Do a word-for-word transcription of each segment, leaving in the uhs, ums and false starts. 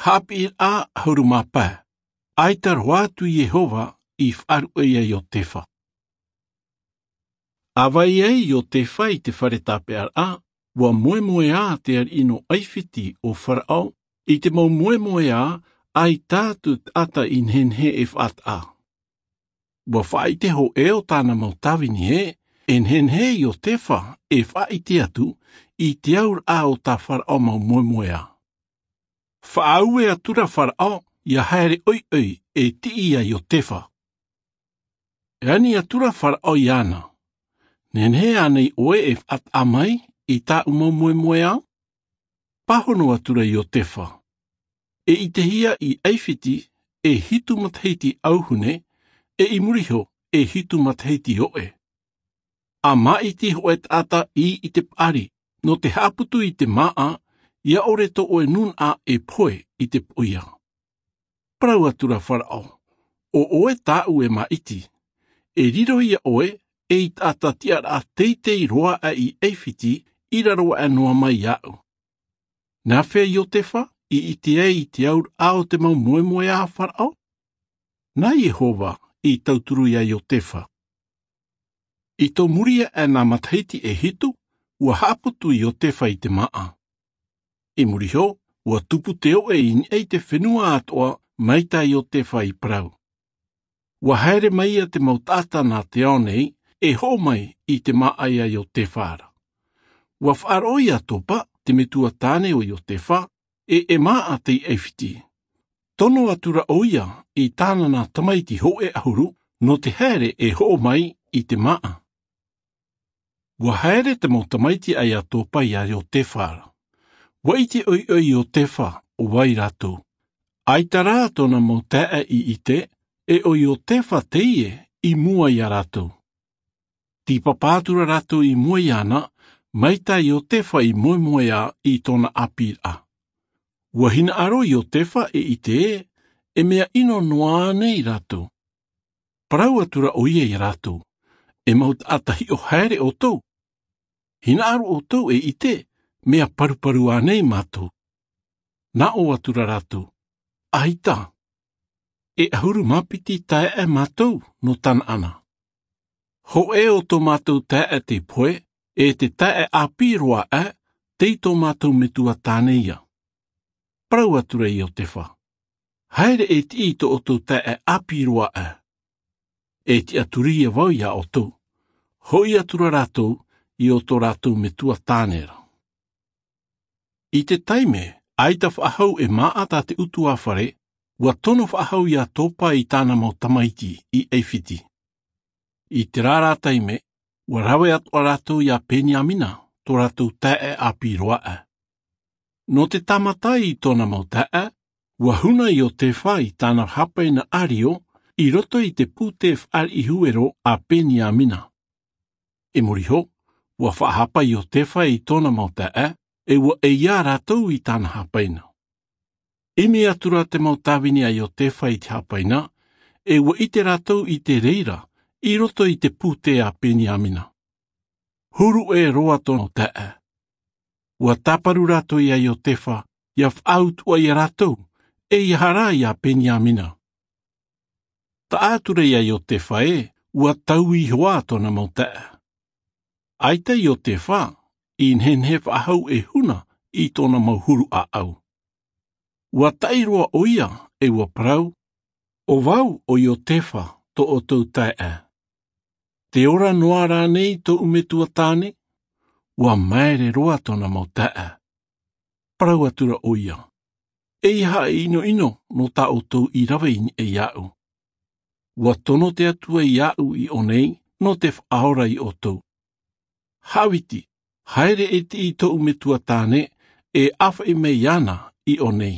Haʻapiʻiraʻa ʻahuru mā pae. ʻAita roa atu iehova i faʻaruʻe iā iotefa. A vai ai iotefa i te fare tāpeʻaraʻa, ua moemoeā te ariʻi nō ʻaifiti ʻo faraʻo i te mau moemoeā ʻaita atu taʻata i nehenehe e faʻataʻa. Ua faʻaʻite hoʻi ʻo tāna mau tāvini ē e nehenehe iotefa e faʻaʻite atu i te auraʻa o tā faraʻo mau moemoeā. Faʻaue atura faraʻo ia haere ʻoiʻoi e tiʻi iā iotefa. E ani atura faraʻo iāna, nehenehe ānei ʻoe e faʻataʻa mai i tāʻu mau moemoeā? Pāhono atura iotefa, e ʻitehia i ʻaifiti e hitu matahiti ʻauhune, e i muri iho e hitu matahiti oʻe. A māʻiti hoʻe taʻata i te paʻari nō te haʻaputu i te māʻa, ia ʻore tō ʻoe nunaʻa e pohe i te poʻia. Parau atura faraʻo, ʻo ʻoe tāʻu e māʻiti, e riro ia ʻoe ei taʻata tiʻaraʻa teitei roa aʻe i ʻaifiti i raro aʻe noa mai iāʻu. Nā hea iotefa i ʻite ai i te auraʻa o te mau moemoeā a faraʻo? Nā iehova i tauturu iā iotefa. I tō muri aʻe nā matahiti e hitu, ua haʻaputu iotefa i te māʻa. I muri iho, ua tupu te oʻe i niʻa i te fenua atoʻa mai tā iotefa i parau. Ua haere mai ia te mau taʻata nā te ao nei e hoʻo mai i te māʻa iā iotefa ra. Ua faʻaroʻo iā topa te metua tāne o iotefa, e e māʻa tei ʻaifiti. Tono atura ʻoia i tāna nā tamaiti hoʻe ʻahuru nō te haere e hoʻo mai i te māʻa. Ua haere te mau tamaiti a iā topa iā iotefa ra. Ua ʻite ʻoiʻoi iotefa ʻo vai rātou. ʻAita rā tōna mau taeaʻe i ʻite, e ʻo iotefa teie i mua iā rātou. Tīpapa atura rātou i mua iāna mai tā iotefa i moemoeā i tōna ʻāpīraʻa. Ua hinaʻaro iotefa e ʻite ē e mea ʻino noa ānei rātou. Parau atura ʻoia iā rātou, e mau taʻata hiʻo haere ʻoutou. Hinaʻaro ʻoutou e ʻite mea paruparu ānei mātou? Nā ʻō atura rātou, ʻaita. E ʻahuru mā piti taeaʻe mātou nō tanaʻana. Hoʻē o tō mātou taeaʻe tei pohe, e te taeaʻe ʻāpī roa aʻe tei tō mātou metua tāne ia. Parau atura iotefa, haere e tiʻi i tō ʻoutou taeaʻe ʻāpī roa aʻe. E tiʻaturi ia vau iā ʻoutou. Hoʻi atura rātou i ō tō rātou metua tāne ra. I te taime ʻaita faʻahou e māʻa tā te ʻutuāfare, ua tono faʻahou iā topa i tāna mau tamaiti i ʻaifiti. I te rā rā taime ua rave atoʻa rātou iā peniamina, tō rātou taeaʻe ʻāpī roa aʻe. Nō te tāmata i tōna mau taeaʻe, ua huna iotefa i tāna hāpaina ʻārio i roto i te pūtē faʻariʻi huero a peniamina. I muri iho, ua faʻahapa iotefa i tōna mau taeaʻe, e ua ʻeiā rātou i tāna hāpaina. Imi atura te mau tāvini a iotefa i te hāpaina, e ua ʻite rātou i te reira i roto i te pūtē a peniamina. Huru ʻē roa tōna taeaʻe. Ua tāparu rātou iā iotefa ia faʻautuʻa iā rātou, e ia hara iā peniamina. Taʻa atura iā iotefa ē ua taui iho ā tōna mau taeaʻe. ʻAita iotefa i nehenehe faʻahou e huna i tōna mau huru ʻāʻau. Ua taʻi roa ʻoia, e ua parau, ʻo vau ʻo iotefa tō ʻoutou taeaʻe. Te ora noa rānei tōʻu metua tāne? Ua maere roa tōna mau taeaʻe. Parau atura ʻoia, e ia haʻaʻinoʻino nō tā ʻoutou i rave i niʻa iāʻu. Ua tono te atua iāʻu i ʻō nei nō te faʻaora iā ʻoutou. Haʻaviti, haere e tiʻi i tōʻu metua tāne, e ʻāfaʻi mai iāna i ʻō nei.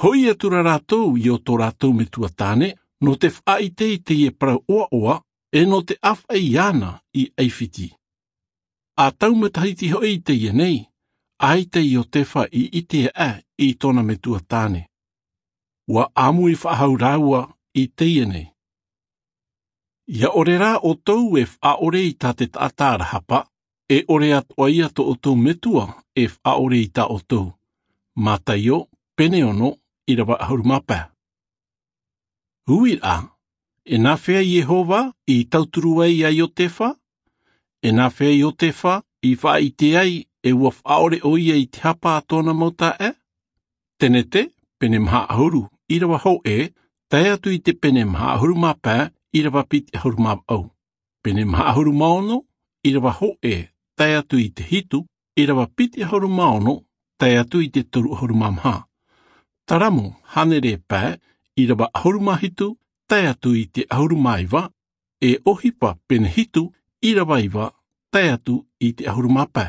Hoʻi atura rātou i ō tō rātou metua tāne nō te faʻaʻite i teie parau ʻoaʻoa, e nō te ʻāfaʻi iāna i ʻaifiti. A tau matahiti hoʻi i teie nei, ʻaita iotefa i ʻite aʻe i tōna metua tāne. Ua ʻāmui faʻahou rāua i teie nei. Ia ʻore rā ʻoutou e faʻaʻore i tā te taʻata rahapa, e ʻore atoʻa ia tō ʻoutou metua e faʻaʻore i tā ʻoutou. Mataio, pene ono, ʻīrava ʻahuru mā pae. Uiraʻa, e nāfea iehova i tauturu ai iā iotefa? E nāfea iotefa i faʻaʻite ai e ua faʻaʻore ʻo ia i te hapa a tōna mau taeaʻe? Tenete, pene maha ʻahuru, ʻīrava hōʻē, tae atu i te pene maha ʻahuru mā pae, ʻīrava piti ʻahuru mā vaʻu. Pene maha ʻahuru mā ono, ʻīrava hōʻē, tae atu i te hitu, ʻīrava piti ʻahuru mā ono, tae atu i te toru ʻahuru mā maha. Taramo, hānere pae, ʻīrava ʻahuru mā hitu, tae atu i te ʻahuru mā iva, e ʻohipa, pene hitu, ʻīrava iva, tae atu i te ʻahuru mā pae.